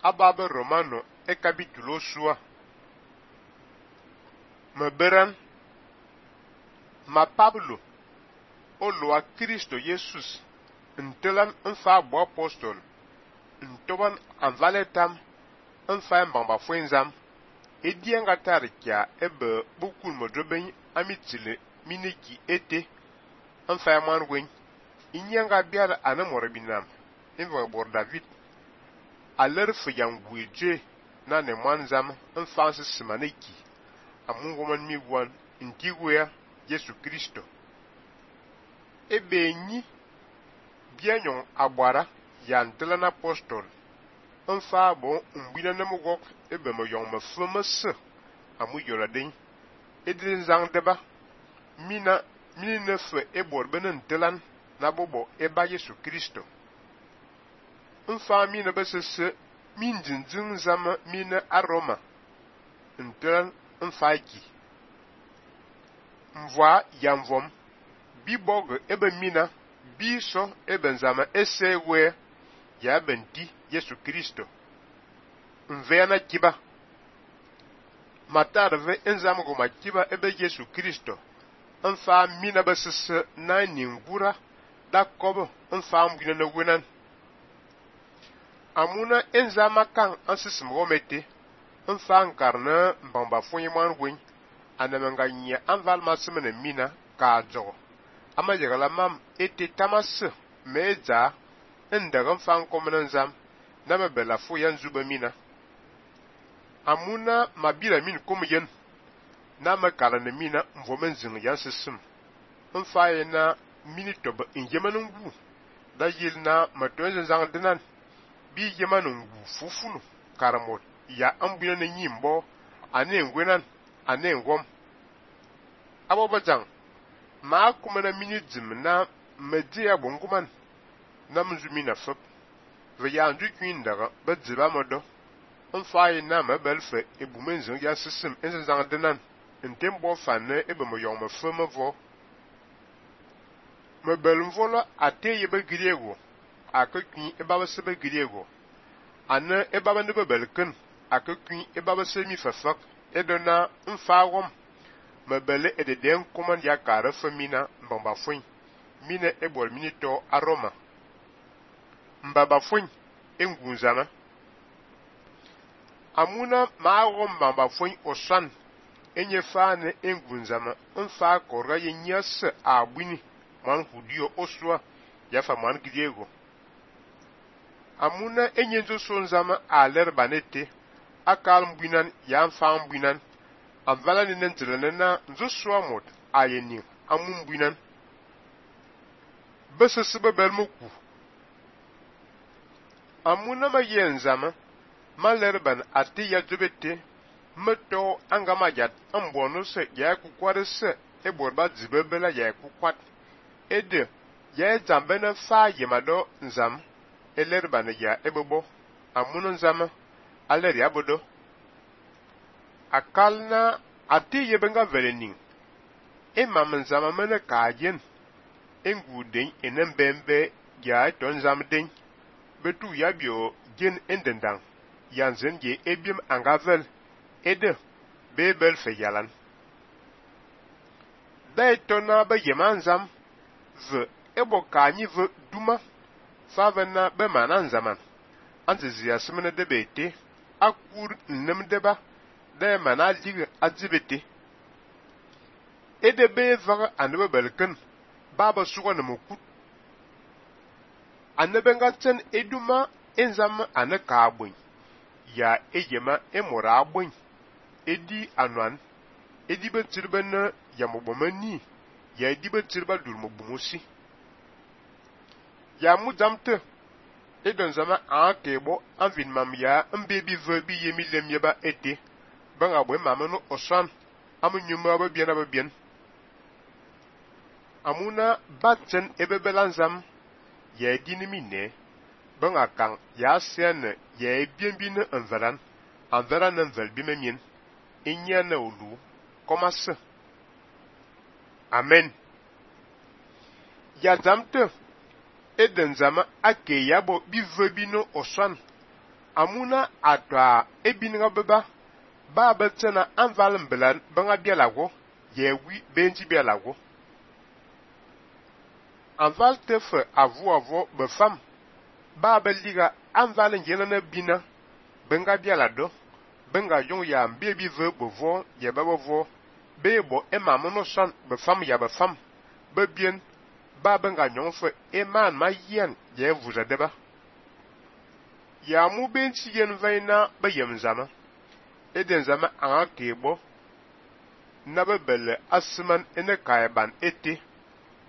ababe Romano e capítulo sua. Meberan ma Pablo o loa Cristo Jesus ntelan nfa bo apostol ntoban anvaletam nfa mbamba fuenzam edianga tarkia ebe bokun modroben amitile miniki ete nfa manwen inyanga biara anamorbinam inva bor David aler fuyangweje na ne manzam nfa simaneki amungoman migwan ntigwea Yesu Kristo ebe nyi bianyon agbara yantelan apostol nfa bo mbina namugok ebe mo yon me fumese amu yoradin edin zang deba mina nefe ebor benen telan na bobo eba Yesu Kristo nfa mina besese min jinjin zama mina aroma ntelan nfa ki mvoa yanvom bibog ebe mina biso ebe nzama esewe ya benti Yesu Kristo nveana kiba matarve enzam go makiba ebe Yesu Kristo nfa mina besese na ningura da kobo nfa mbina na wenan amuna enzama kan ansisim gomete nfa nkarna mbamba fonyeman wen anamanga nya anval masimene mina ka jogo ama yegala mam ete tamas meza ndaga fan komnan zam na mabela fo yan zuba mina amuna mabira min komyen na makala na mina mvomen zing yan sisim nfa na minitob injemanun gu da yilna matonzen zang dinan bi yemanun gu fufunu karamot ya ambina na nyimbo ane ngwenan ane ngom abobajang ma kuma na mini jim na media bonguman na mzumina fop ve ya ndu kwin daga bedziba modo nfa na mabelfe ebumenzo ya sisim enzang denan ntembo fanne ebe mo yom me fo mevo mebel mvolo ate yebe griego akakwin eba sebe griego ana eba ne bebelken akakwin eba semi fafak edona nfa wom mebele ededen command ya kare femina mbamba fuin mina ebol minito aroma mbaba fuin engunzama amuna maagom mbamba fuin osan enye fane engunzama nfa korga yenyas abwini man hudio oswa ya fa man griego amuna enye zo sonzama aler banete akal mbwinan ya mfa mbwinan amvala ni nentrene na nzo swamot ayeni amumbwinan besese belmoku amuna mayenzama malerban ati ya jobete meto angamajat ambono se ya kukware se eborba zibebela ya kukwat ede ya zambena fa yemado nzam elerban ya ebebo amuna nzama aler ya bodo akalna ati yebenga velening emam nzama mena kajen enguden enembembe ya tonzam den betu yabio gen endendang yanzen ye ebim angavel ede bebel feyalan daitona ba yemanzam ve ebo kanyi ve duma favena be mananzaman anzizia simene debete akur nnemdeba da mana liga azibete ede be vaga anebe belken baba suga na mukut anebe ngatsen eduma enzam anaka abun ya ejema emora abun edi anwan edi betirben ya mobomani ya edi betirba durmobumusi ya mudamte edon zama akebo anvin mam ya mbebi verbi yemilem yeba ete banga bwe mamano osan amunyuma babien amuna batsen ebebelanzam ya dinimine banga kan ya sen ya bienbine enveran envelbimenien inyana olu komase amen ya zamte eden zama ake yabo bivebino osan amuna atwa ebinga beba ba betena anval mbelan banga bielago yewi benji bielago anval tefe avo befam ba beliga anval ngenana bina benga bielado benga jong ya mbebi ve bevo ye babo bebo emamono san befam ya befam bebien ba benga nyonfe eman ma yen ye vuza deba ya mu benchi yen vaina bayem zama eden zama anga kebo na bebele asman ene kaiban ete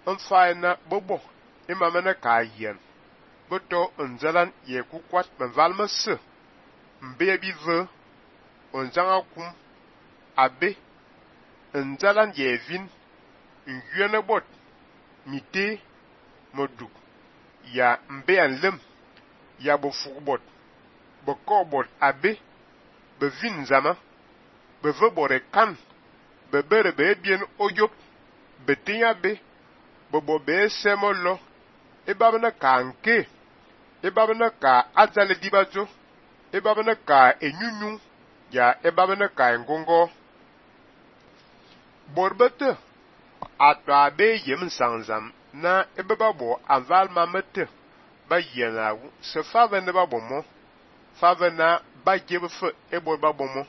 onfaina bobo imamana kayen boto onzalan ye kukwat benvalmase mbebi ve onzanga kum abe onzalan ye vin nguyene bot mite moduk ya mbean lem ya bofugbot bokobot abe bevin zama bevebore kan bebere bebien oyop betinya be bobo be semolo ebabana kanke ebabana ka azale dibazo ebabana ka enyunyu ya ebabana ka ngongo borbete atwa be yem sanzam na ebababo aval mamete ba yena se fave ne babomo fave na ba jebe fe ebo babomo